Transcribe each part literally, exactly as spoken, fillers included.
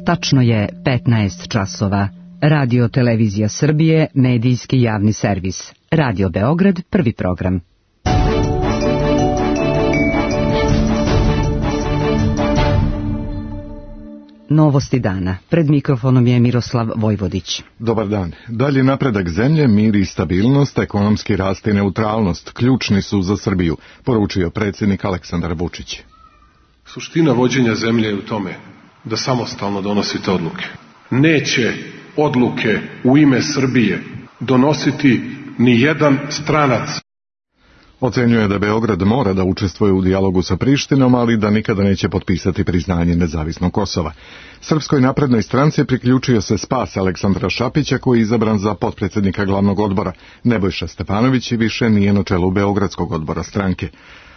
Tačno je petnaest časova. Radio Televizija Srbije, medijski javni servis. Radio Beograd, prvi program. Novosti dana. Pred mikrofonom je Miroslav Vojvodić. Dobar dan. Dalji napredak zemlje, mir i stabilnost, ekonomski rast i neutralnost ključni su za Srbiju, poručio predsjednik Aleksandar Vučić. Suština vođenja zemlje je u tome da samostalno donosite odluke. Neće odluke u ime Srbije donositi ni jedan stranac. Ocenjuje da Beograd mora da učestvuje u dijalogu sa Prištinom, ali da nikada neće potpisati priznanje nezavisnog Kosova. Srpskoj naprednoj stranci priključio se spas Aleksandra Šapića, koji je izabran za potpredsjednika glavnog odbora. Nebojša Stefanović više nije na čelu Beogradskog odbora stranke.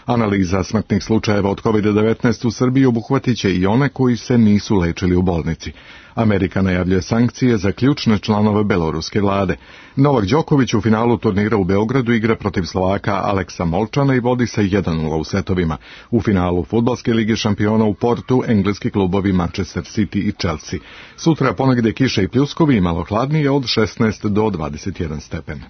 Analiza smrtnih slučajeva od kovid devetnaest u Srbiji obuhvatit će i one koji se nisu lečili u bolnici. Amerika najavljuje sankcije za ključne članove beloruske vlade. Novak Đoković u finalu turnira u Beogradu igra protiv Slovaka Aleksa Molčana i vodi se jedan nula u setovima. U finalu Fudbalske lige šampiona u Portu engleski klubovi Manchester City i Chelsea. Sutra ponegde kiše i pljuskovi i malo hladnije od šesnaest do dvadeset jedan stepen.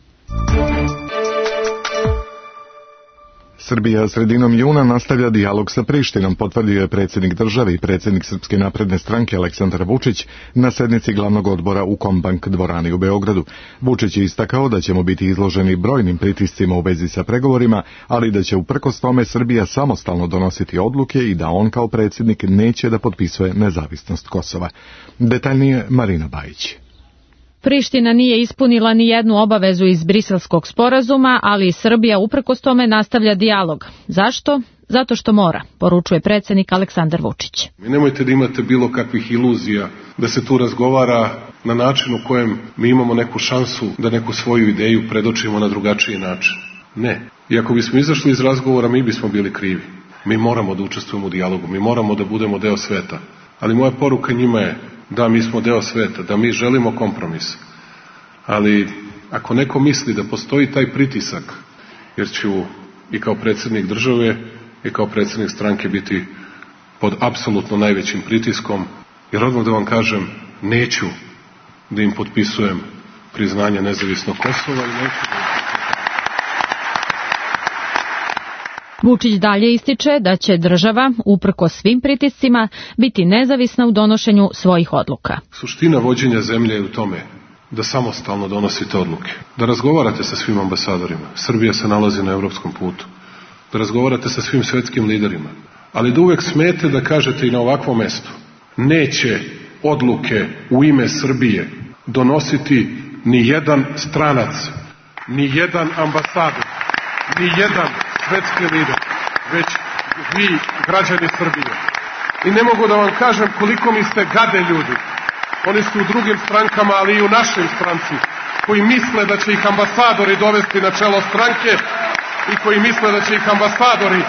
Srbija sredinom juna nastavlja dijalog sa Prištinom, potvrdio je predsjednik države i predsjednik Srpske napredne stranke Aleksandar Vučić na sednici glavnog odbora u Kombank dvorani u Beogradu. Vučić je istakao da ćemo biti izloženi brojnim pritiscima u vezi sa pregovorima, ali da će uprkos tome Srbija samostalno donositi odluke i da on kao predsjednik neće da potpisuje nezavisnost Kosova. Detaljnije Marina Bajić. Priština nije ispunila ni jednu obavezu iz Briselskog sporazuma, ali i Srbija uprkos tome nastavlja dijalog. Zašto? Zato što mora, poručuje predsjednik Aleksandar Vučić. Mi nemojte da imate bilo kakvih iluzija da se tu razgovara na način u kojem mi imamo neku šansu da neku svoju ideju predočimo na drugačiji način. Ne. I ako bismo izašli iz razgovora, mi bismo bili krivi. Mi moramo da učestvujemo u dijalogu, mi moramo da budemo deo sveta. Ali moja poruka njima je da mi smo deo sveta, da mi želimo kompromis. Ali ako neko misli da postoji taj pritisak, jer ću i kao predsjednik države i kao predsjednik stranke biti pod apsolutno najvećim pritiskom, jer odmah da vam kažem, neću da im potpisujem priznanje nezavisnog Kosova i neću da... Vučić dalje ističe da će država, uprkos svim pritiscima, biti nezavisna u donošenju svojih odluka. Suština vođenja zemlje je u tome da samostalno donosite odluke, da razgovarate sa svim ambasadorima. Srbija se nalazi na evropskom putu. Da razgovarate sa svim svetskim liderima, ali da uvek smete da kažete i na ovakvom mestu. Neće odluke u ime Srbije donositi ni jedan stranac, ni jedan ambasador, ni jedan svetski lider, već vi, građani Srbije. I ne mogu da vam kažem koliko mi ste gade ljudi. Oni su u drugim strankama, ali i u našoj stranci, koji misle da će ih ambasadori dovesti na čelo stranke i koji misle da će ih ambasadori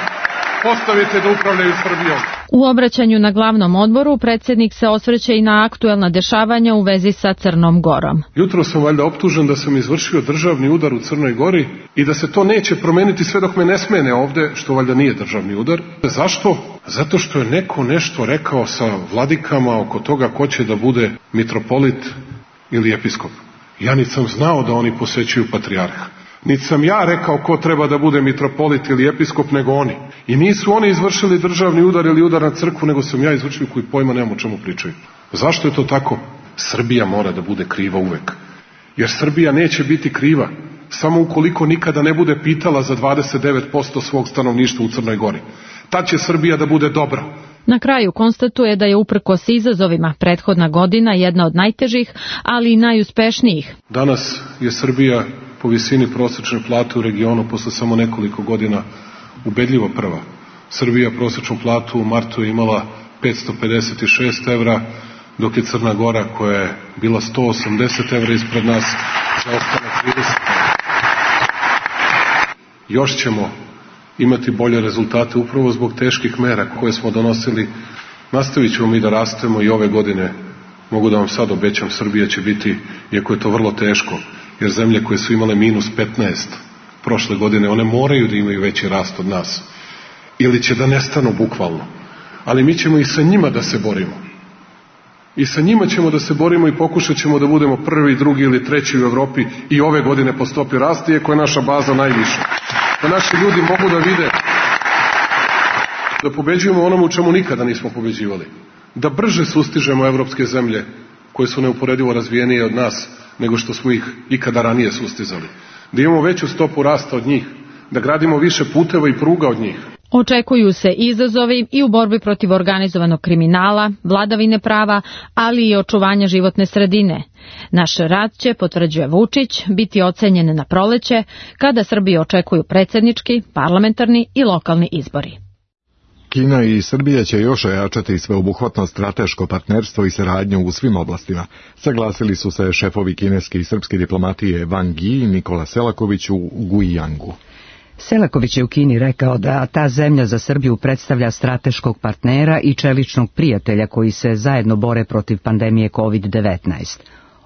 postaviti da upravljaju Srbijom. U obraćanju na glavnom odboru predsjednik se osvrće i na aktuelna dešavanja u vezi sa Crnom Gorom. Jutro sam valjda optužen da sam izvršio državni udar u Crnoj Gori i da se to neće promeniti sve dok me ne smene ovde, što valjda nije državni udar. Zašto? Zato što je neko nešto rekao sa vladikama oko toga ko će da bude mitropolit ili episkop. Ja niti sam znao da oni posećuju patrijarha. Niti sam ja rekao ko treba da bude mitropolit ili episkop, nego oni. I nisu oni izvršili državni udar ili udar na crkvu, nego sam ja izvršio, koji pojma nemam o čemu pričaju. Zašto je to tako? Srbija mora da bude kriva uvek. Jer Srbija neće biti kriva samo ukoliko nikada ne bude pitala za dvadeset devet posto svog stanovništva u Crnoj Gori. Tad će Srbija da bude dobra. Na kraju konstatuje da je uprkos izazovima prethodna godina jedna od najtežih, ali i najuspešnijih. Danas je Srbija po visini prosječne plate u regionu posle samo nekoliko godina ubedljivo prva. Srbija prosječnu platu u martu je imala petsto pedeset šest evra, dok je Crna Gora, koja je bila sto osamdeset evra ispred nas, zaostala trideset evra. Još ćemo imati bolje rezultate upravo zbog teških mera koje smo donosili. Nastavit ćemo mi da rastemo i ove godine. Mogu da vam sad obećam, Srbija će biti, iako je to vrlo teško, jer zemlje koje su imale minus petnaest prošle godine, one moraju da imaju veći rast od nas. Ili će da nestanu bukvalno. Ali mi ćemo i sa njima da se borimo. I sa njima ćemo da se borimo i pokušat ćemo da budemo prvi, drugi ili treći u Evropi i ove godine po stopi rasta, iako je naša baza najviša. Da naši ljudi mogu da vide da pobeđujemo onomu u čemu nikada nismo pobeđivali. Da brže sustižemo evropske zemlje koje su neuporedivo razvijenije od nas nego što smo ih ikada ranije sustizali. Da imamo veću stopu rasta od njih. Da gradimo više puteva i pruga od njih. Očekuju se izazovi i u borbi protiv organizovanog kriminala, vladavine prava, ali i očuvanja životne sredine. Naš rad će, potvrđuje Vučić, biti ocenjen na proleće, kada Srbiji očekuju predsjednički, parlamentarni i lokalni izbori. Kina i Srbija će još ojačati sveobuhvatno strateško partnerstvo i saradnju u svim oblastima. Saglasili su se šefovi kineske i srpske diplomatije Wang Yi i Nikola Selaković u Guijangu. Selaković je u Kini rekao da ta zemlja za Srbiju predstavlja strateškog partnera i čeličnog prijatelja koji se zajedno bore protiv pandemije kovid devetnaest.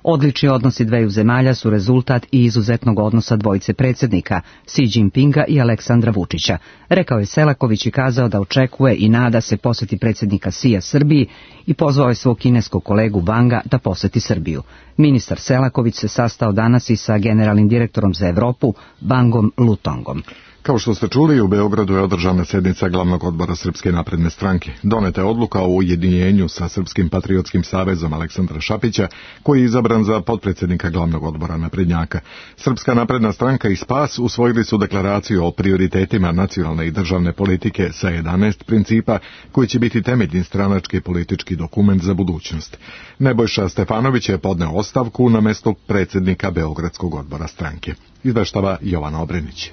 Odlični odnosi dveju zemalja su rezultat i izuzetnog odnosa dvojice predsjednika, Xi Jinpinga i Aleksandra Vučića, rekao je Selaković i kazao da očekuje i nada se posjeti predsjednika Xija Srbiji i pozvao je svog kineskog kolegu Wanga da posjeti Srbiju. Ministar Selaković se sastao danas i sa generalnim direktorom za Evropu, Bangom Lutongom. Kao što ste čuli, u Beogradu je održana sjednica glavnog odbora Srpske napredne stranke. Doneta je odluka o ujedinjenju sa Srpskim patriotskim savezom Aleksandra Šapića, koji je izabran za potpredsjednika glavnog odbora naprednjaka. Srpska napredna stranka i Spas usvojili su deklaraciju o prioritetima nacionalne i državne politike sa jedanaest principa, koji će biti temeljni stranački politički dokument za budućnost. Nebojša Stefanović je podneo ostavku na mesto predsjednika Beogradskog odbora stranke. Izveštava Jovana Obrenić.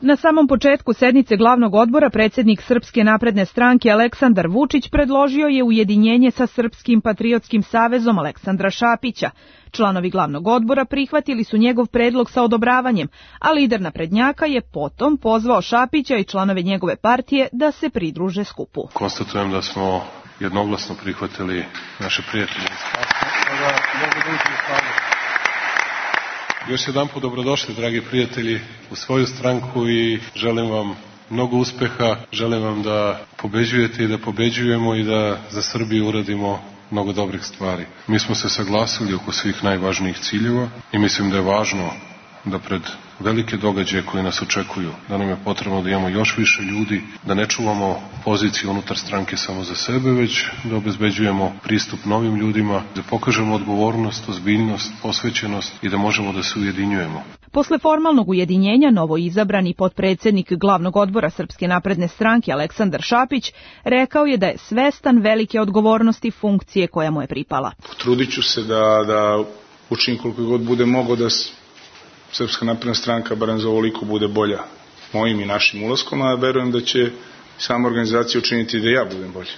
Na samom početku sednice glavnog odbora predsjednik Srpske napredne stranke Aleksandar Vučić predložio je ujedinjenje sa Srpskim patriotskim savezom Aleksandra Šapića. Članovi glavnog odbora prihvatili su njegov predlog sa odobravanjem, a lider naprednjaka je potom pozvao Šapića i članove njegove partije da se pridruže skupu. Konstatujem da smo jednoglasno prihvatili naše prijatelje iz Spasa. Još jedan put dobrodošli, dragi prijatelji, u svoju stranku i želim vam mnogo uspeha, želim vam da pobeđujete i da pobeđujemo i da za Srbiju uradimo mnogo dobrih stvari. Mi smo se saglasili oko svih najvažnijih ciljeva i mislim da je važno da pred velike događaje koje nas očekuju, da nam je potrebno da imamo još više ljudi, da ne čuvamo poziciju unutar stranke samo za sebe, već da obezbeđujemo pristup novim ljudima, da pokažemo odgovornost, ozbiljnost, posvećenost i da možemo da se ujedinjujemo. Posle formalnog ujedinjenja, novo izabrani potpredsjednik glavnog odbora Srpske napredne stranke Aleksandar Šapić rekao je da je svestan velike odgovornosti funkcije koja mu je pripala. Potrudit ću se da, da učim koliko god bude mogo da Srpska napredna stranka barem za ovoliko bude bolja mojim i našim ulaskom, a verujem da će sama organizacija učiniti da ja budem bolji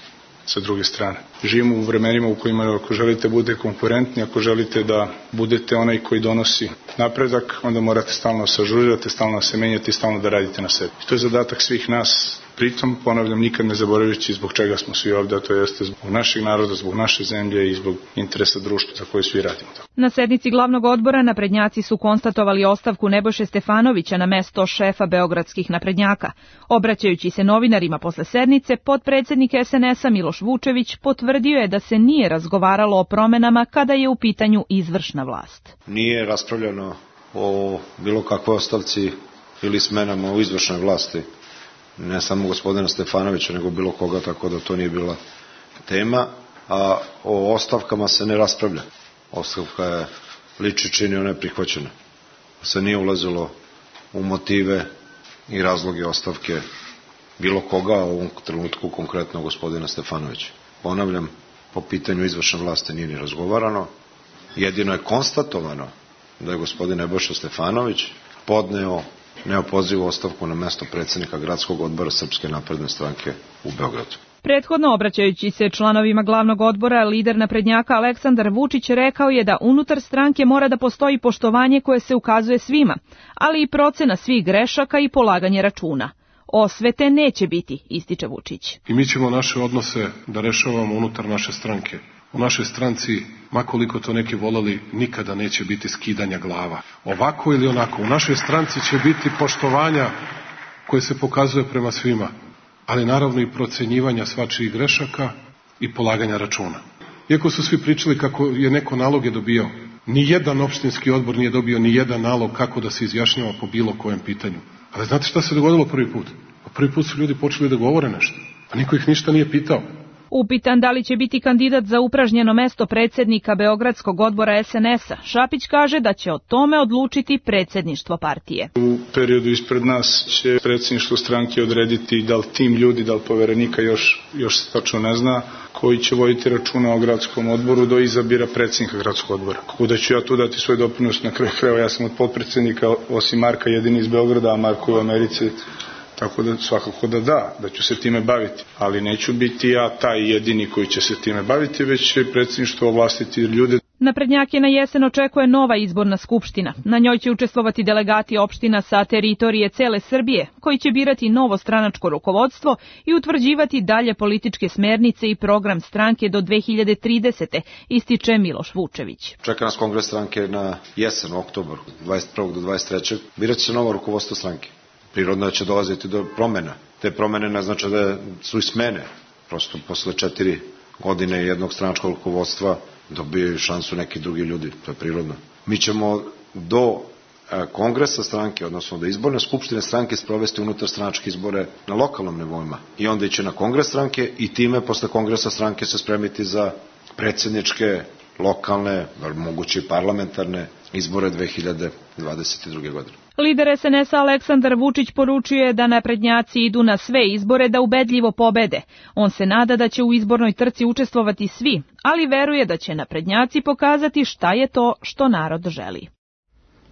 sa druge strane. Živimo u vremenima u kojima ako želite bude konkurentni, ako želite da budete onaj koji donosi napredak, onda morate stalno se ažurirati, stalno se menjati, stalno da radite na sebi. I to je zadatak svih nas. Pritom, ponavljam, nikad ne zaboravljajući zbog čega smo svi ovdje, a to jeste zbog našeg naroda, zbog naše zemlje i zbog interesa društva za koje svi radimo. Na sednici glavnog odbora naprednjaci su konstatovali ostavku Nebojše Stefanovića na mesto šefa beogradskih naprednjaka. Obraćajući se novinarima posle sednice, potpredsjednik es en es a Miloš Vučević potvrdio je da se nije razgovaralo o promenama kada je u pitanju izvršna vlast. Nije raspravljano o bilo kakvoj ostavci ili smenama u izvršnoj vlasti. Ne samo gospodina Stefanovića, nego bilo koga, tako da to nije bila tema, a o ostavkama se ne raspravlja. Ostavka je liči čini, ona je prihvaćena. Se nije ulazilo u motive i razloge ostavke bilo koga, a u ovom trenutku konkretno gospodina Stefanovića. Ponavljam, po pitanju izvršne vlasti nije ni razgovarano, jedino je konstatovano da je gospodin Nebojša Stefanović podneo neopozivu ostavku na mesto predsjednika gradskog odbora Srpske napredne stranke u Beogradu. Prethodno obraćajući se članovima glavnog odbora, lider naprednjaka Aleksandar Vučić rekao je da unutar stranke mora da postoji poštovanje koje se ukazuje svima, ali i procena svih grešaka i polaganje računa. Osvete neće biti, ističe Vučić. I mi ćemo naše odnose da rešavamo unutar naše stranke. U našoj stranci, makoliko to neki volali, nikada neće biti skidanja glava. Ovako ili onako, u našoj stranci će biti poštovanja koje se pokazuje prema svima, ali naravno i procenjivanja svačijih grešaka i polaganja računa. Iako su svi pričali kako je neko naloge dobio, ni jedan opštinski odbor nije dobio ni jedan nalog kako da se izjašnjava po bilo kojem pitanju. Ali znate šta se dogodilo prvi put? Prvi put su ljudi počeli da govore nešto, a niko ih ništa nije pitao. Upitan da li će biti kandidat za upražnjeno mesto predsjednika Beogradskog odbora es en es a, Šapić kaže da će o tome odlučiti predsjedništvo partije. U periodu ispred nas će predsjedništvo stranke odrediti da li tim ljudi, da li poverenika još, još se tačno ne zna, koji će voditi računa o gradskom odboru do izabira predsjednika gradskog odbora. Kako da ću ja tu dati svoj doprinos, na kraju krajeva ja sam od potpredsjednika osim Marka jedini iz Beograda, a Marko je u Americi. Tako da svakako da da, da ću se time baviti. Ali neću biti ja taj jedini koji će se time baviti, već će predsjedništvo ovlastiti ljude. Naprednjake na jesen očekuje nova izborna skupština. Na njoj će učestvovati delegati opština sa teritorije cele Srbije, koji će birati novo stranačko rukovodstvo i utvrđivati dalje političke smernice i program stranke do dve hiljade tridesete, ističe Miloš Vučević. Čeka nas kongres stranke na jesen, u oktobru, dvadeset prvog do dvadeset trećeg Birat će novo rukovodstvo stranke. Prirodno će dolaziti do promjena. Te promjene ne znači da su i smene. Prosto posle četiri godine jednog stranačkog rukovodstva dobiju šansu neki drugi ljudi. To je prirodno. Mi ćemo do kongresa stranke, odnosno do izborne skupštine stranke sprovesti unutar stranačke izbore na lokalnom nivoima. I onda iće na kongres stranke i time posle kongresa stranke se spremiti za predsjedničke, lokalne, moguće i parlamentarne izbore dve hiljade dvadeset druge godine. Lider es en es a Aleksandar Vučić poručuje da naprednjaci idu na sve izbore da ubedljivo pobede. On se nada da će u izbornoj trci učestvovati svi, ali veruje da će naprednjaci pokazati šta je to što narod želi.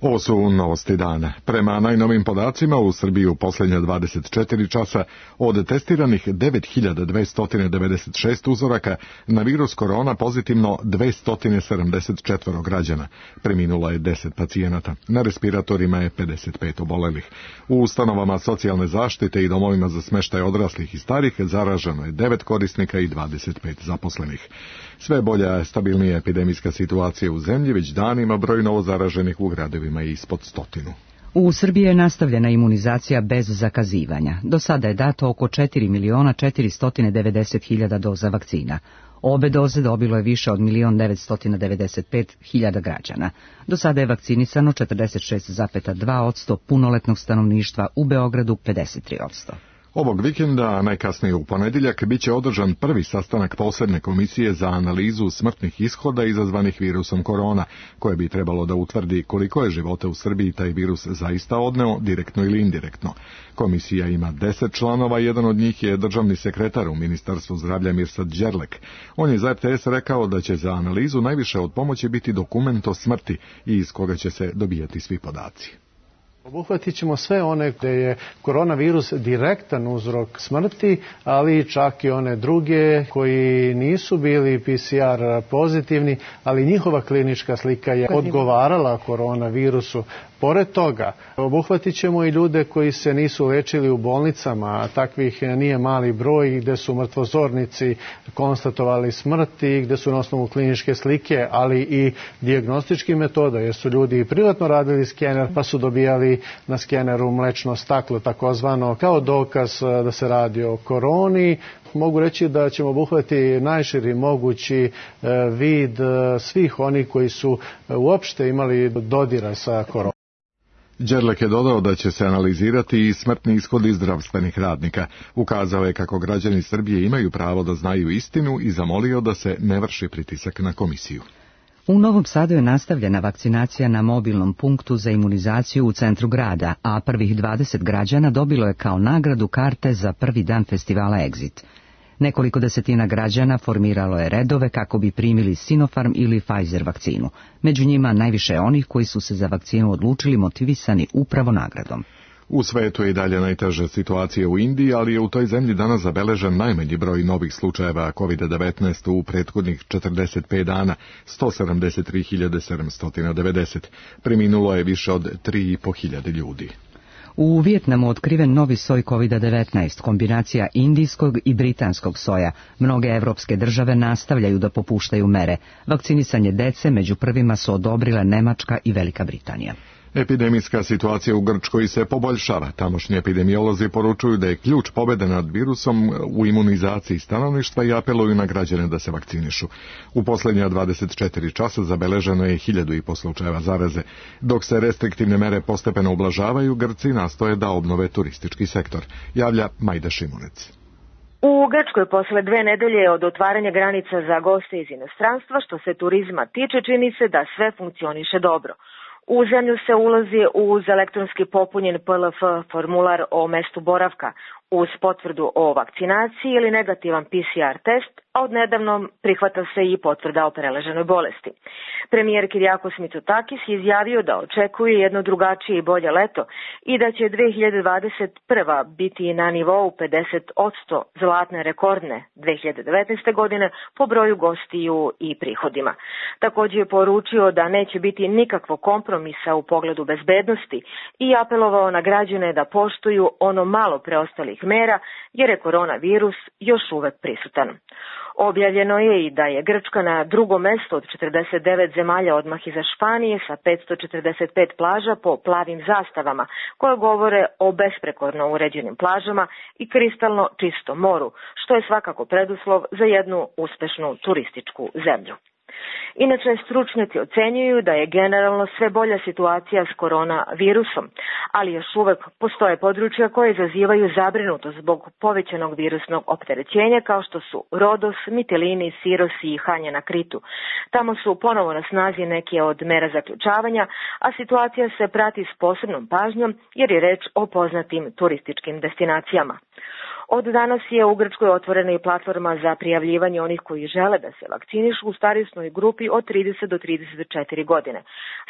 Ovo su novosti dana. Prema najnovim podacima u Srbiji u posljednja dvadeset četiri časa od testiranih devet hiljada dvesta devedeset šest uzoraka na virus korona pozitivno dvesta sedamdeset četiri građana. Preminulo je deset pacijenata. Na respiratorima je pedeset pet obolelih. U ustanovama socijalne zaštite i domovima za smeštaj odraslih i starih zaraženo je devet korisnika i dvadeset pet zaposlenih. Sve bolja, stabilnija epidemijska situacija u zemlji, već danima broj novozaraženih u gradovima je ispod stotinu. U Srbiji je nastavljena imunizacija bez zakazivanja. Do sada je dato oko četiri miliona četiristo devedeset hiljada doza vakcina. Obe doze dobilo je više od milion devetsto devedeset pet hiljada građana. Do sada je vakcinisano četrdeset šest zarez dva posto punoletnog stanovništva, u Beogradu pedeset tri posto. Ovog vikenda, najkasnije u ponedjeljak, bit će održan prvi sastanak posebne komisije za analizu smrtnih ishoda izazvanih virusom korona, koje bi trebalo da utvrdi koliko je života u Srbiji taj virus zaista odneo, direktno ili indirektno. Komisija ima deset članova, jedan od njih je državni sekretar u Ministarstvu zdravlja Mirsad Đerlek. On je za er te es rekao da će za analizu najviše od pomoći biti dokument o smrti i iz koga će se dobijati svi podaci. Obuhvatit ćemo sve one gde je koronavirus direktan uzrok smrti, ali čak i one druge koji nisu bili pe ce er pozitivni, ali njihova klinička slika je odgovarala koronavirusu. Pored toga, obuhvatit ćemo i ljude koji se nisu lečili u bolnicama, a takvih nije mali broj, gde su mrtvozornici konstatovali smrti, gde su na osnovu kliničke slike, ali i dijagnostičkih metoda, jer su ljudi i privatno radili skener, pa su dobijali na skeneru mlečno staklo, takozvano, kao dokaz da se radi o koroni. Mogu reći da ćemo obuhvatiti najširi mogući vid svih onih koji su uopšte imali dodira sa koronom. Đerlek je dodao da će se analizirati i smrtni ishodi zdravstvenih radnika. Ukazao je kako građani Srbije imaju pravo da znaju istinu i zamolio da se ne vrši pritisak na komisiju. U Novom Sadu je nastavljena vakcinacija na mobilnom punktu za imunizaciju u centru grada, a prvih dvadeset građana dobilo je kao nagradu karte za prvi dan festivala Exit. Nekoliko desetina građana formiralo je redove kako bi primili Sinopharm ili Pfizer vakcinu. Među njima najviše onih koji su se za vakcinu odlučili motivisani upravo nagradom. U svetu je i dalje najteža situacija u Indiji, ali je u toj zemlji danas zabeležen najmanji broj novih slučajeva kovid devetnaest u prethodnih četrdeset pet dana, sto sedamdeset tri hiljade sedamsto devedeset. Preminulo je više od tri i po hiljade ljudi. U Vijetnamu otkriven novi soj kovid devetnaest, kombinacija indijskog i britanskog soja. Mnoge evropske države nastavljaju da popuštaju mere. Vakcinisanje dece među prvima su odobrile Nemačka i Velika Britanija. Epidemijska situacija u Grčkoj se poboljšava. Tamošnji epidemiolozi poručuju da je ključ pobjede nad virusom u imunizaciji stanovništva i apeluju na građane da se vakcinišu. U posljednja dvadeset četiri časa zabeleženo je hiljadu i po slučajeva zaraze. Dok se restriktivne mere postepeno ublažavaju, Grci nastoje da obnove turistički sektor. Javlja Majda Šimunec. U Grčkoj posle dve nedelje od otvaranja granica za goste iz inostranstva, što se turizma tiče, čini se da sve funkcioniše dobro. U zemlju se ulazi uz elektronski popunjen P L F formular o mestu boravka, uz potvrdu o vakcinaciji ili negativan P C R test, a odnedavno prihvata se i potvrda o preleženoj bolesti. Premijer Kyriakos Mitsotakis je izjavio da očekuje jedno drugačije i bolje leto i da će dve hiljade dvadeset prva biti na nivou pedeset posto zlatne rekordne dve hiljade devetnaeste. godine po broju gostiju i prihodima. Također je poručio da neće biti nikakvog kompromisa u pogledu bezbednosti i apelovao na građane da poštuju ono malo preostalih mera jer je koronavirus još uvek prisutan. Objavljeno je i da je Grčka na drugom mestu od četrdeset devet zemalja odmah iza Španije sa petsto četrdeset pet plaža po plavim zastavama koje govore o besprekorno uređenim plažama i kristalno čistom moru, što je svakako preduslov za jednu uspešnu turističku zemlju. Inače, stručnjaci ocenjuju da je generalno sve bolja situacija s koronavirusom, ali još uvek postoje područja koje izazivaju zabrinutost zbog povećanog virusnog opterećenja kao što su Rodos, Mitilini, Siros i Hanja na Kritu. Tamo su ponovo na snazi neke od mera zaključavanja, a situacija se prati s posebnom pažnjom jer je reč o poznatim turističkim destinacijama. Od danas je u Grčkoj otvorena i platforma za prijavljivanje onih koji žele da se vakcinišu u starosnoj grupi od trideset do trideset četiri godine.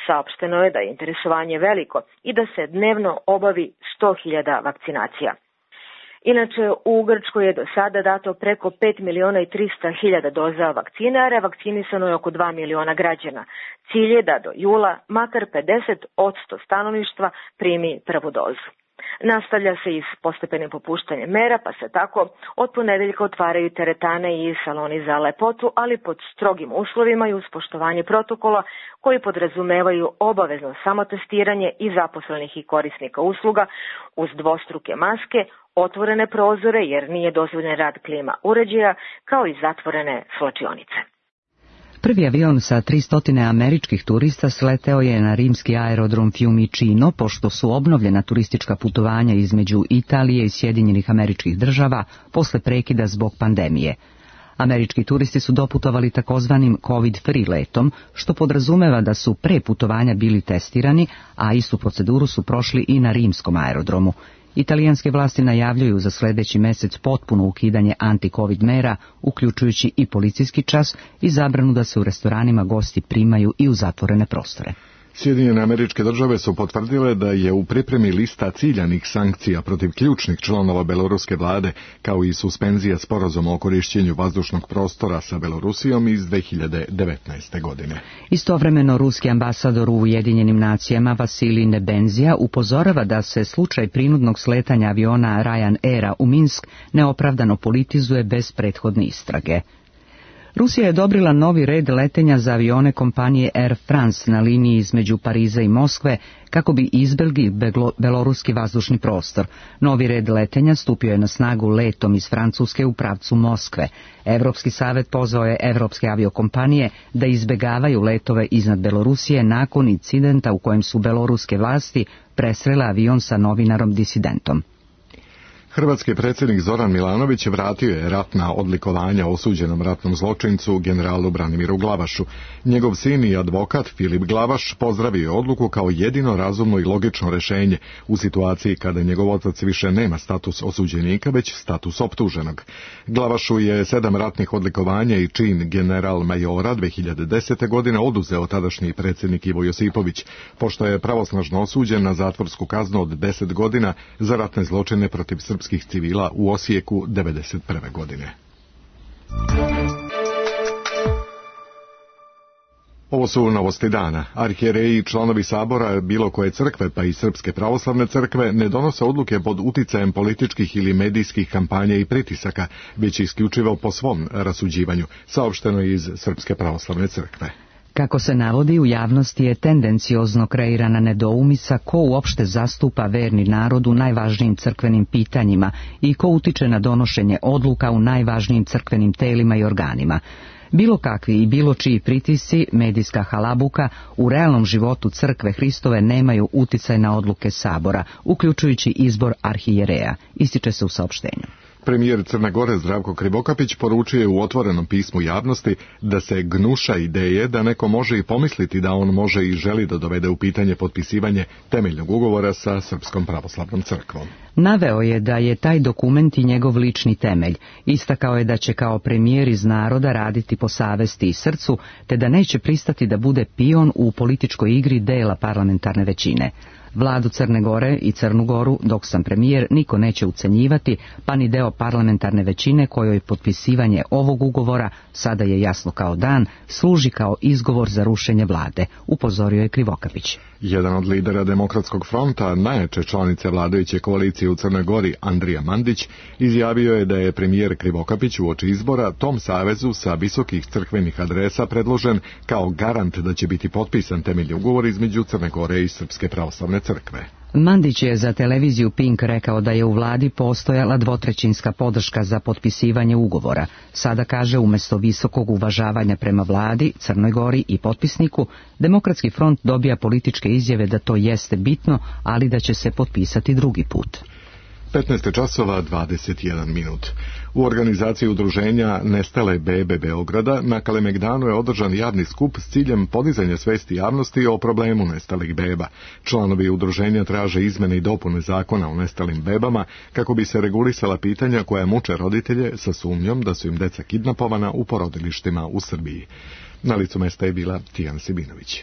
Saopšteno je da je interesovanje veliko i da se dnevno obavi sto hiljada vakcinacija. Inače, u Grčkoj je do sada dato preko pet miliona i trista hiljada doza vakcine, a revakcinisano je oko dva miliona građana. Cilj je da do jula makar pedeset posto stanovništva primi prvu dozu. Nastavlja se i s postepenim popuštanjem mera, pa se tako od ponedeljka otvaraju teretane i saloni za lepotu, ali pod strogim uslovima i uz poštovanje protokola koji podrazumevaju obavezno samotestiranje i zaposlenih i korisnika usluga uz dvostruke maske, otvorene prozore jer nije dozvoljen rad klima uređaja, kao i zatvorene svlačionice. Prvi avion sa tristo američkih turista sleteo je na rimski aerodrom Fiumicino, pošto su obnovljena turistička putovanja između Italije i Sjedinjenih Američkih Država posle prekida zbog pandemije. Američki turisti su doputovali takozvanim COVID-free letom, što podrazumeva da su pre putovanja bili testirani, a istu proceduru su prošli i na rimskom aerodromu. Italijanske vlasti najavljuju za sljedeći mjesec potpuno ukidanje anti-covid mera, uključujući i policijski čas i zabranu da se u restoranima gosti primaju i u zatvorene prostore. Sjedinjene Američke Države su potvrdile da je u pripremi lista ciljanih sankcija protiv ključnih članova beloruske vlade, kao i suspenzija sporazuma o korišćenju vazdušnog prostora sa Belorusijom iz dve hiljade devetnaeste. godine. Istovremeno, ruski ambasador u Ujedinjenim nacijama Vasilij Nebenzija upozorava da se slučaj prinudnog sletanja aviona Ryan Aira u Minsk neopravdano politizuje bez prethodne istrage. Rusija je odobrila novi red letenja za avione kompanije Air France na liniji između Pariza i Moskve kako bi izbjegli beloruski vazdušni prostor. Novi red letenja stupio je na snagu letom iz Francuske u pravcu Moskve. Evropski savjet pozvao je evropske aviokompanije da izbjegavaju letove iznad Belorusije nakon incidenta u kojem su beloruske vlasti presrele avion sa novinarom disidentom. Hrvatski predsjednik Zoran Milanović vratio je ratna odlikovanja osuđenom ratnom zločincu generalu Branimiru Glavašu. Njegov sin i advokat Filip Glavaš pozdravio je odluku kao jedino razumno i logično rješenje u situaciji kada njegov otac više nema status osuđenika, već status optuženog. Glavašu je sedam ratnih odlikovanja i čin general majora dve hiljade desete. godine oduzeo tadašnji predsjednik Ivo Josipović, pošto je pravosnažno osuđen na zatvorsku kaznu od deset godina za ratne zločine protiv srpskih civila u Osijeku devedeset prve. godine. Ovo su novosti dana. Arhijereji i članovi sabora bilo koje crkve, pa i Srpske pravoslavne crkve, ne donose odluke pod uticajem političkih ili medijskih kampanja i pritisaka, već isključivo po svom rasuđivanju, saopšteno iz Srpske pravoslavne crkve. Kako se navodi, u javnosti je tendenciozno kreirana nedoumica ko uopšte zastupa verni narod u najvažnijim crkvenim pitanjima i ko utiče na donošenje odluka u najvažnijim crkvenim telima i organima. Bilo kakvi i bilo čiji pritisci, medijska halabuka, u realnom životu crkve Hristove nemaju uticaj na odluke sabora, uključujući izbor arhijereja, ističe se u saopštenju. Premijer Crne Gore Zdravko Krivokapić poručio je u otvorenom pismu javnosti da se gnuša ideje da neko može i pomisliti da on može i želi da dovede u pitanje potpisivanje temeljnog ugovora sa Srpskom pravoslavnom crkvom. Naveo je da je taj dokument i njegov lični temelj. Istakao je da će kao premijer iz naroda raditi po savesti i srcu, te da neće pristati da bude pion u političkoj igri dela parlamentarne većine. Vladu Crne Gore i Crnu Goru, dok sam premijer, niko neće ucenjivati, pa ni deo parlamentarne većine kojoj potpisivanje ovog ugovora, sada je jasno kao dan, služi kao izgovor za rušenje vlade, upozorio je Krivokapić. Jedan od lidera Demokratskog fronta, najjače članice vladajuće koalicije u Crnoj Gori, Andrija Mandić, izjavio je da je premijer Krivokapić uoči izbora tom savezu sa visokih crkvenih adresa predložen kao garant da će biti potpisan temeljni ugovor između Crne Gore i Srpske pravoslavne crkve. Mandić je za televiziju Pink rekao da je u vladi postojala dvotrećinska podrška za potpisivanje ugovora. Sada kaže, umjesto visokog uvažavanja prema vladi, Crnoj Gori i potpisniku, Demokratski front dobija političke izjave da to jeste bitno, ali da će se potpisati drugi put. petnaest časova dvadeset jedan minut. U organizaciji udruženja Nestale bebe Beograda na Kalemegdanu je održan javni skup s ciljem podizanja svesti javnosti o problemu nestalih beba. Članovi udruženja traže izmene i dopune zakona o nestalim bebama kako bi se regulisala pitanja koja muče roditelje sa sumnjom da su im deca kidnapovana u porodilištima u Srbiji. Na licu mesta je bila Tijana Sibinović.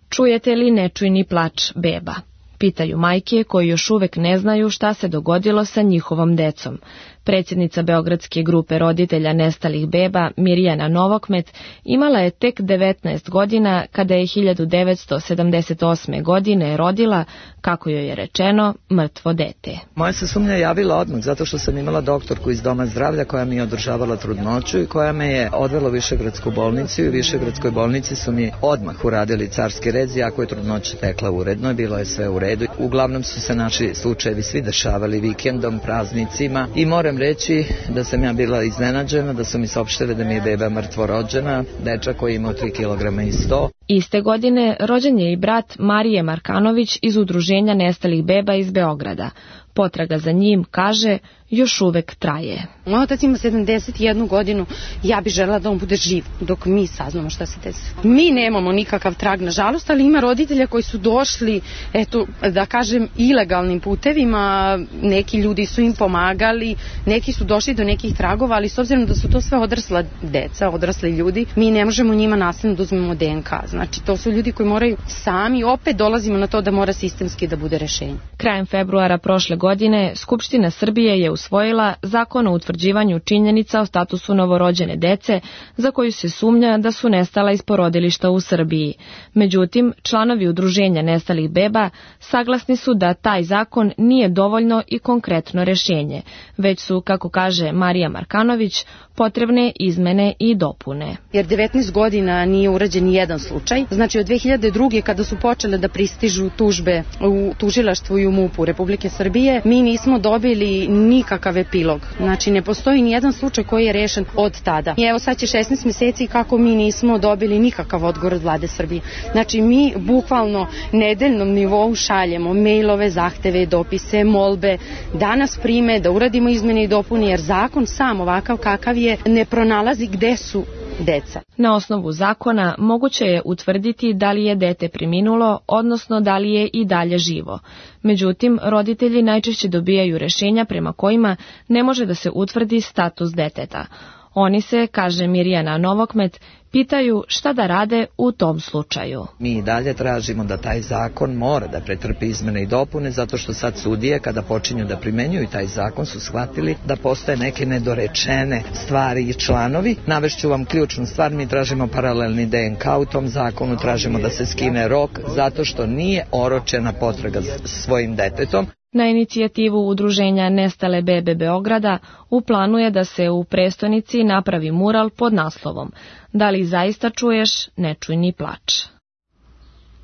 Čujete li nečujni plač beba? Pitaju majke koji još uvek ne znaju šta se dogodilo sa njihovom decom. Predsjednica Beogradske grupe roditelja nestalih beba, Mirjana Novokmet, imala je tek devetnaest godina kada je hiljadu devetsto sedamdeset osme. godine rodila, kako joj je rečeno, mrtvo dete. Moja se sumnja javila odmah, zato što sam imala doktorku iz Doma zdravlja koja mi je održavala trudnoću i koja me je odvela u Višegradsku bolnicu i u Višegradskoj bolnici su mi odmah uradili carski rez, iako je trudnoća tekla uredno i bilo je sve u redu. Uglavnom su se naši slučajevi svi dešavali vikendom, praznicima i moram reći da sam ja bila iznenađena, da su mi saopštili da mi je beba mrtvo rođena, dečak koji imao tri kilograma i sto. Iste godine rođen je i brat Marije Markanović iz udruženja nestalih beba iz Beograda. Potraga za njim, kaže, još uvek traje. Moj otac ima sedamdeset jednu godinu, ja bih želela da on bude živ dok mi saznamo šta se desilo. Mi nemamo nikakav trag, nažalost, ali ima roditelja koji su došli, eto, da kažem, ilegalnim putevima, neki ljudi su im pomagali, neki su došli do nekih tragova, ali s obzirom da su to sve odrasla deca, odrasli ljudi, mi ne možemo njima nasilno da uzmemo de en ka. Znači, to su ljudi koji moraju sami, opet dolazimo na to da mora sistemski da bude rešenje. Krajem februara prošle godine Skupština Srbije je usvojila Zakon o utvrđivanju činjenica o statusu novorođene dece za koju se sumnja da su nestala iz porodilišta u Srbiji. Međutim, članovi udruženja nestalih beba saglasni su da taj zakon nije dovoljno i konkretno rešenje, već su, kako kaže Marija Markanović, potrebne izmene i dopune. Jer devetnaest godina nije urađen ni jedan slučaj. Znači od dve hiljade druge. kada su počele da pristižu tužbe u tužilaštvu i u mupu Republike Srbije, mi nismo dobili nikakav epilog. Znači ne postoji ni jedan slučaj koji je rešen od tada. I evo sad će šesnaest meseci kako mi nismo dobili nikakav odgovor od vlade Srbije. Znači mi bukvalno nedeljnom nivou šaljemo mailove, zahteve, dopise, molbe, da nas prime, da uradimo izmene i dopune, jer zakon sam ovakav kakav je ne pronalazi gde su deca. Na osnovu zakona moguće je utvrditi da li je dete preminulo, odnosno da li je i dalje živo. Međutim, roditelji najčešće dobijaju rešenja prema kojima ne može da se utvrdi status deteta. Oni se, kaže Mirjana Novokmet, pitaju šta da rade u tom slučaju. Mi i dalje tražimo da taj zakon mora da pretrpi izmene i dopune, zato što sad sudije, kada počinju da primenjuju taj zakon, su shvatili da postoje neke nedorečene stvari i članovi. Navešću vam ključnu stvar, mi tražimo paralelni de en ka u tom zakonu, tražimo da se skine rok, zato što nije oročena potraga svojim detetom. Na inicijativu udruženja Nestale bebe Beograda u planu je da se u prestonici napravi mural pod naslovom "Da li zaista čuješ, ne čuj ni plač".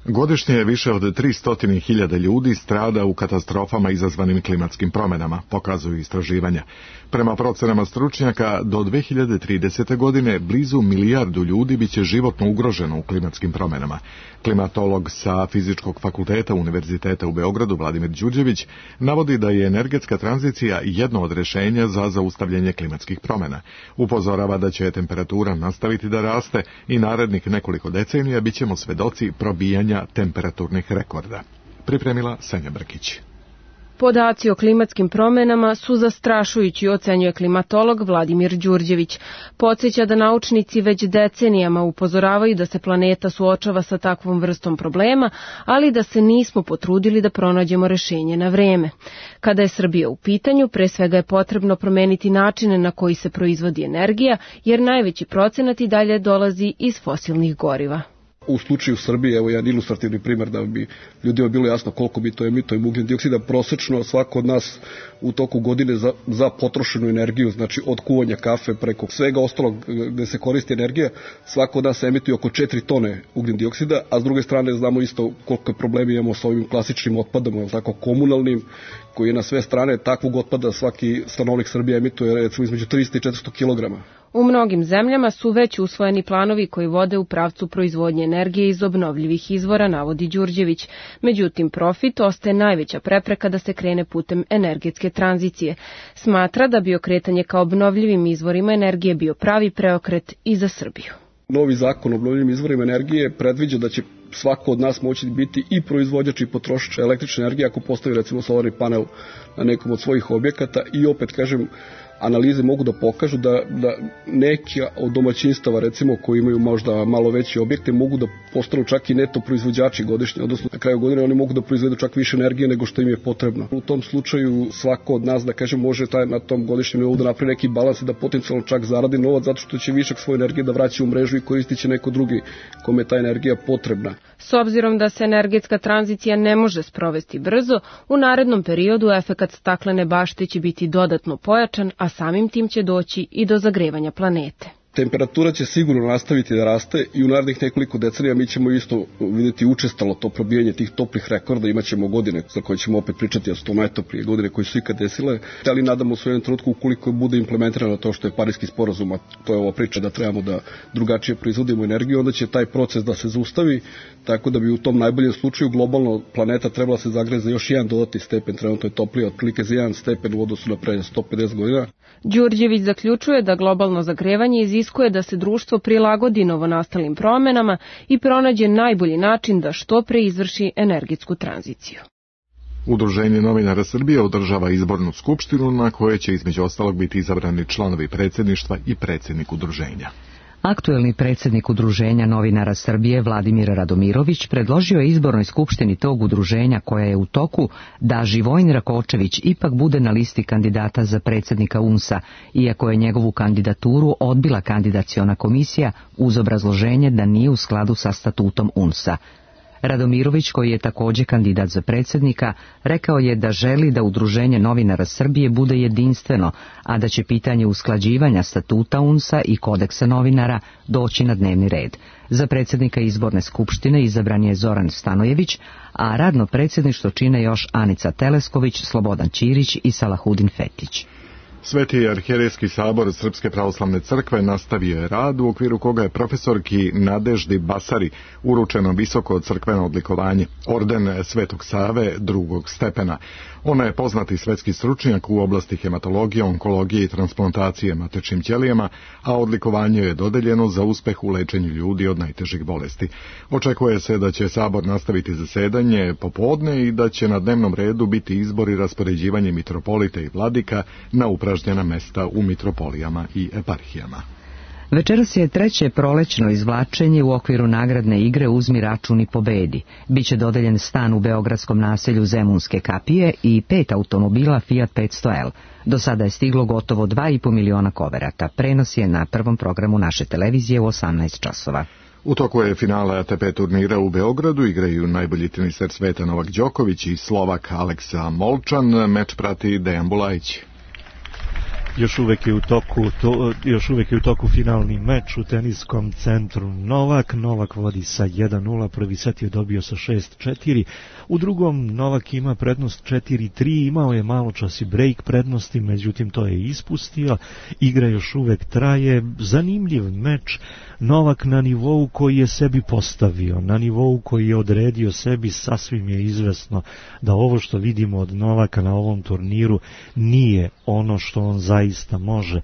Godišnje je više od tristo hiljada ljudi strada u katastrofama izazvanim klimatskim promjenama, pokazuju istraživanja. Prema procenama stručnjaka, do dve hiljade tridesete. godine blizu milijardu ljudi biće životno ugroženo u klimatskim promjenama. Klimatolog sa Fizičkog fakulteta Univerziteta u Beogradu, Vladimir Đurđević, navodi da je energetska tranzicija jedno od rješenja za zaustavljanje klimatskih promjena. Upozorava da će temperatura nastaviti da raste i narednih nekoliko decenija bit ćemo svedoci probijanja temperaturnih rekorda. Pripremila Senja Brkić. Podaci o klimatskim promjenama su zastrašujući, ocenjuje klimatolog Vladimir Đurđević. Podsjeća da naučnici već decenijama upozoravaju da se planeta suočava sa takvom vrstom problema, ali da se nismo potrudili da pronađemo rešenje na vreme. Kada je Srbija u pitanju, pre svega je potrebno promeniti načine na koji se proizvodi energija, jer najveći procenat i dalje dolazi iz fosilnih goriva. U slučaju Srbije, evo jedan ilustrativni primjer da bi ljudima bilo jasno koliko bi to emituje ugljen dioksida, prosečno svako od nas u toku godine za, za potrošenu energiju, znači od kuvanja kafe preko svega ostalog gde se koristi energija, svako od nas emituje oko četiri tone ugljen dioksida, a s druge strane znamo isto koliko problemi imamo sa ovim klasičnim otpadom, tako komunalnim, koji je na sve strane takvog otpada svaki stanovnik Srbije emituje recimo između tristo i četiristo kilograma. U mnogim zemljama su već usvojeni planovi koji vode u pravcu proizvodnje energije iz obnovljivih izvora, navodi Đurđević. Međutim, profit ostaje najveća prepreka da se krene putem energetske tranzicije. Smatra da bi okretanje ka obnovljivim izvorima energije bio pravi preokret i za Srbiju. Novi zakon o obnovljivim izvorima energije predviđa da će svako od nas moći biti i proizvođač i potrošač električne energije ako postavi recimo solarni panel na nekom od svojih objekata i opet kažem, analize mogu da pokažu da, da neki od domaćinstava recimo koji imaju možda malo veće objekte mogu da postanu čak i neto proizvođači godišnje, odnosno na kraju godine oni mogu da proizvedu čak više energije nego što im je potrebno. U tom slučaju svako od nas da kažem može taj, na tom godišnjem nivou da napravi neki balans i da potencijalno čak zaradi novac zato što će višak svoje energije da vraća u mrežu i koristit će neko drugi kome je ta energija potrebna. S obzirom da se energetska tranzicija ne može sprovesti brzo, u narednom periodu efekat staklene bašte će biti dodatno pojačan, a samim tim će doći i do zagrevanja planete. Temperatura će sigurno nastaviti da raste i u narednih nekoliko decenija mi ćemo isto vidjeti učestalo to probijanje tih toplih rekorda, imaćemo godine za koje ćemo opet pričati, a su to najtoplije godine koje su ikad desile, ali nadamo se u jednom trenutku ukoliko bude implementirano to što je Pariski sporazum, a to je ova priča da trebamo da drugačije proizvodimo energiju, onda će taj proces da se zaustavi, tako da bi u tom najboljem slučaju globalno planeta trebala se zagreje za još jedan dodatni stepen, trenutno je toplije otprilike za jedan stepen u odnosu na pre sto pedeset godina. Đurđević zaključuje da globalno zagrevanje iziskuje da se društvo prilagodi novonastalim promjenama i pronađe najbolji način da što pre izvrši energetsku tranziciju. Udruženje novinara Srbije održava izbornu skupštinu na kojoj će između ostalog biti izabrani članovi predsjedništva i predsjednik udruženja. Aktuelni predsjednik Udruženja novinara Srbije Vladimir Radomirović predložio je izbornoj skupštini tog udruženja koja je u toku da Živojin Rakočević ipak bude na listi kandidata za predsjednika U N S A, iako je njegovu kandidaturu odbila kandidaciona komisija uz obrazloženje da nije u skladu sa statutom U N S A. Radomirović, koji je također kandidat za predsjednika, rekao je da želi da Udruženje novinara Srbije bude jedinstveno, a da će pitanje usklađivanja statuta U N S A i kodeksa novinara doći na dnevni red. Za predsjednika izborne skupštine izabran je Zoran Stanojević, a radno predsjedništvo čine još Anica Telesković, Slobodan Ćirić i Salahudin Fetić. Sveti arhijerejski sabor Srpske pravoslavne crkve nastavio je rad u okviru koga je profesorki Nadeždi Basari uručeno visoko crkveno odlikovanje, orden Svetog Save drugog stepena. Ona je poznati svetski stručnjak u oblasti hematologije, onkologije i transplantacije matečnim ćelijama, a odlikovanje je dodeljeno za uspeh u lečenju ljudi od najtežih bolesti. Očekuje se da će sabor nastaviti zasedanje popodne i da će na dnevnom redu biti izbor i raspoređivanje mitropolita i vladika na upražnjena mesta u mitropolijama i eparhijama. Večeras je treće prolećno izvlačenje u okviru nagradne igre Uzmi račun i pobedi. Biće dodeljen stan u beogradskom naselju Zemunske kapije i pet automobila Fiat petsto L. Do sada je stiglo gotovo dva i po miliona koverata. Prenos je na prvom programu naše televizije u osamnaest časova. U toku je finale A T P turnira u Beogradu, igraju najbolji teniser sveta Novak Đoković i Slovak Aleksa Molčan. Meč prati Dejan Bulajić. Još uvek je u toku to, još uvek je u toku finalni meč u teniskom centru Novak. Novak vodi sa jedan nula, prvi set je dobio sa šest četiri. U drugom Novak ima prednost četiri tri, imao je malo čas i break prednosti, međutim to je ispustio. Igra još uvek traje, zanimljiv meč. Novak na nivou koji je sebi postavio, na nivou koji je odredio sebi, sasvim je izvesno da ovo što vidimo od Novaka na ovom turniru nije ono što on zaista može.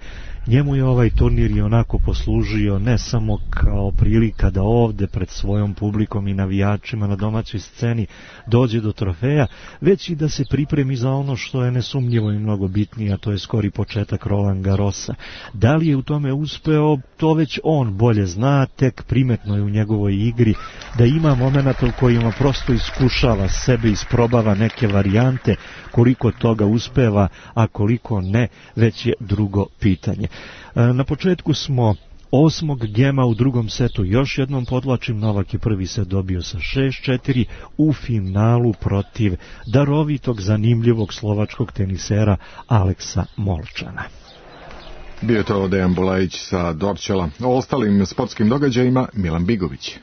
Njemu je ovaj turnir i onako poslužio ne samo kao prilika da ovde pred svojom publikom i navijačima na domaćoj sceni dođe do trofeja, već i da se pripremi za ono što je nesumnjivo i mnogo bitnije, a to je skori početak Roland Garrosa. Da li je u tome uspeo, to već on bolje zna, tek primetno je u njegovoj igri da ima momenata u kojima prosto iskušava sebe, isprobava neke varijante, koliko toga uspeva, a koliko ne, već je drugo pitanje. Na početku smo osmog gema, u drugom setu još jednom podlačim, Novak je prvi set dobio sa šest četiri u finalu protiv darovitog, zanimljivog slovačkog tenisera Aleksa Molčana. Bio je to Dejan Bulajić sa Dorćela. O ostalim sportskim događajima Milan Bigović.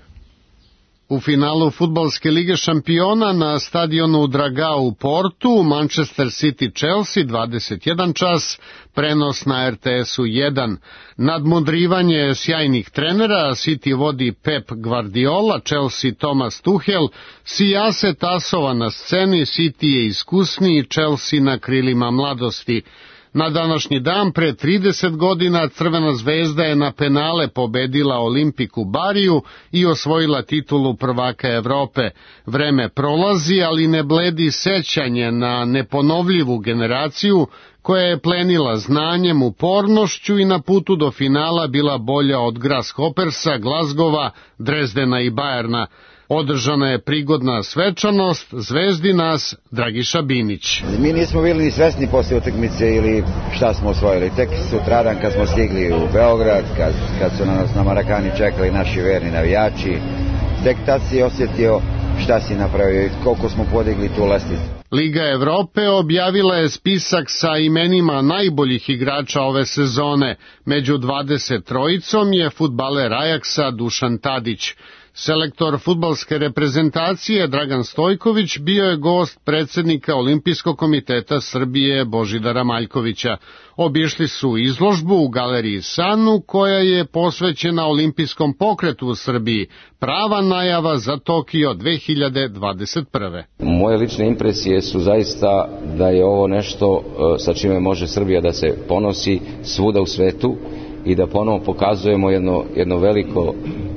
U finalu fudbalske lige šampiona na stadionu Dragao u Portu, Manchester City Chelsea dvadeset jedan čas, prenos na R T S-u jedan. Nadmudrivanje sjajnih trenera, City vodi Pep Guardiola, Chelsea Thomas Tuchel, sijase tasova na sceni, City je iskusniji, Chelsea na krilima mladosti. Na današnji dan pre trideset godina Crvena zvezda je na penale pobedila Olimpiku Bariju i osvojila titulu prvaka Evrope. Vreme prolazi, ali ne bledi sećanje na neponovljivu generaciju koja je plenila znanjem, upornošću i na putu do finala bila bolja od Grasshoppersa, Glasgowa, Drezdena i Bajerna. Održana je prigodna svečanost, zvezdi nas Dragiša Binić. Mi nismo bili ni svesni poslije utakmice ili šta smo osvojili. Tek sutradan kad smo stigli u Beograd, kad, kad su na nas na Marakani čekali naši verni navijači, tek tad si osjetio šta si napravio i koliko smo podigli tu lestvicu. Liga Evrope objavila je spisak sa imenima najboljih igrača ove sezone. Među dvadeset trojicom je fudbaler Ajaksa Dušan Tadić. Selektor fudbalske reprezentacije Dragan Stojković bio je gost predsjednika Olimpijskog komiteta Srbije Božidara Maljkovića. Obišli su izložbu u galeriji Sanu koja je posvećena olimpijskom pokretu u Srbiji, prava najava za Tokio dve hiljade dvadeset prve. Moje lične impresije su zaista da je ovo nešto sa čime može Srbija da se ponosi svuda u svetu i da ponovo pokazujemo jedno, jedno veliko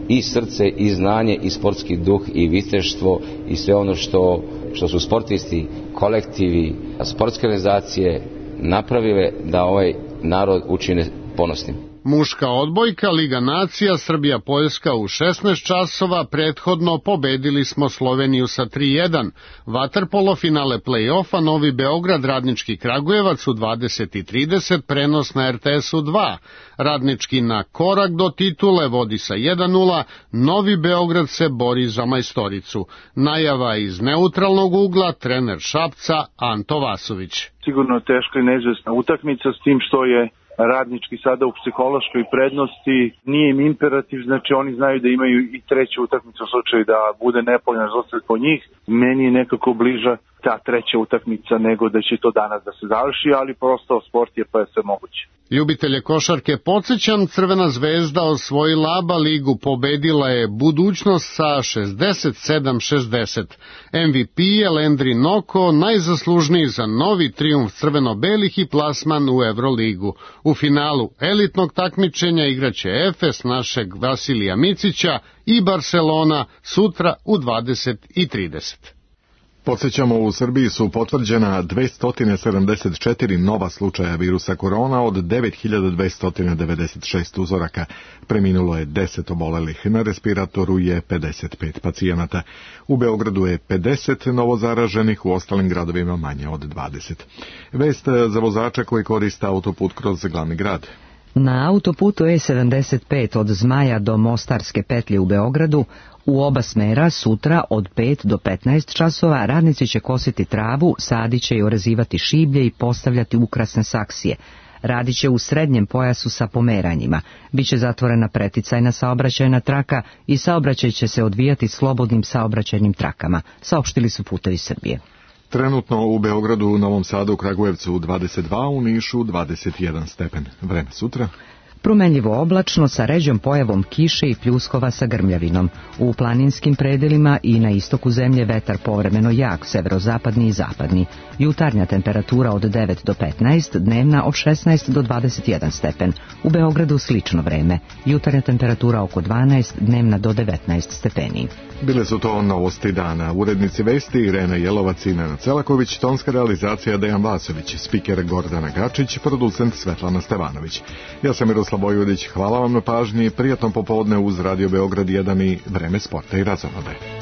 i srce, i znanje, i sportski duh, i viteštvo, i sve ono što, što su sportisti, kolektivi, sportske organizacije napravile da ovaj narod učine ponosnim. Muška odbojka, Liga nacija, Srbija-Poljska u šesnaest časova, prethodno pobedili smo Sloveniju sa tri jedan. Vaterpolo finale play-offa, Novi Beograd, Radnički Kragujevac u dvadeset i trideset, prenos na R T S-u dva. Radnički na korak do titule vodi sa jedan nula, Novi Beograd se bori za majstoricu. Najava iz neutralnog ugla, trener Šapca Anto Vasović. Sigurno teška i neizvesna utakmica s tim što je Radnički sada u psihološkoj prednosti, nije im imperativ, znači oni znaju da imaju i treću utakmicu u slučaju da bude nepovoljan rezultat po njih. Meni je nekako bliža ta treća utakmica nego da će to danas da se završi, ali prosto sport je pa je sve moguće. Ljubitelje košarke podsjećam, Crvena zvezda osvojila A B A ligu, pobedila je Budućnost sa šezdeset sedam šezdeset. M V P je Landry Noko, najzaslužniji za novi trijumf crveno-belih i plasman u Euroligu. U finalu elitnog takmičenja igraće Efes našeg Vasilija Micića i Barcelona sutra u dvadeset i trideset. Podsjećamo, u Srbiji su potvrđena dvesta sedamdeset četiri nova slučaja virusa korona od devet hiljada dvesta devedeset šest uzoraka. Preminulo je deset obolelih, na respiratoru je pedeset pet pacijenata. U Beogradu je pedeset novozaraženih, u ostalim gradovima manje od dvadeset. Vest za vozača koji koriste autoput kroz glavni grad. Na autoputu E sedamdeset pet od Zmaja do Mostarske petlje u Beogradu u oba smera sutra od pet do petnaest časova radnici će kositi travu, sadit će i orezivati šiblje i postavljati ukrasne saksije. Radit će u srednjem pojasu sa pomeranjima. Biće zatvorena preticajna saobraćajna traka i saobraćaj će se odvijati slobodnim saobraćajnim trakama, saopštili su Putevi Srbije. Trenutno u Beogradu, Novom Sadu, Kragujevcu dvadeset dva, u Nišu dvadeset jedan stepen. Vreme sutra. Promenljivo oblačno sa ređom pojavom kiše i pljuskova sa grmljavinom. U planinskim predelima i na istoku zemlje vetar povremeno jak, severozapadni i zapadni. Jutarnja temperatura od devet do petnaest, dnevna od šesnaest do dvadeset jedan stepen. U Beogradu slično vreme. Jutarnja temperatura oko dvanaest, dnevna do devetnaest stepeni. Bile su to novosti dana. Urednici vesti Irena Jelovac i Nenad Celaković, tonska realizacija Dejan Vasović, spiker Gordana Gačić, producent Svetlana Stevanović. Ja sam Miroslav Vojvodić, hvala vam na pažnji, prijatno popodne uz Radio Beograd jedan i Vreme sporta i razonode.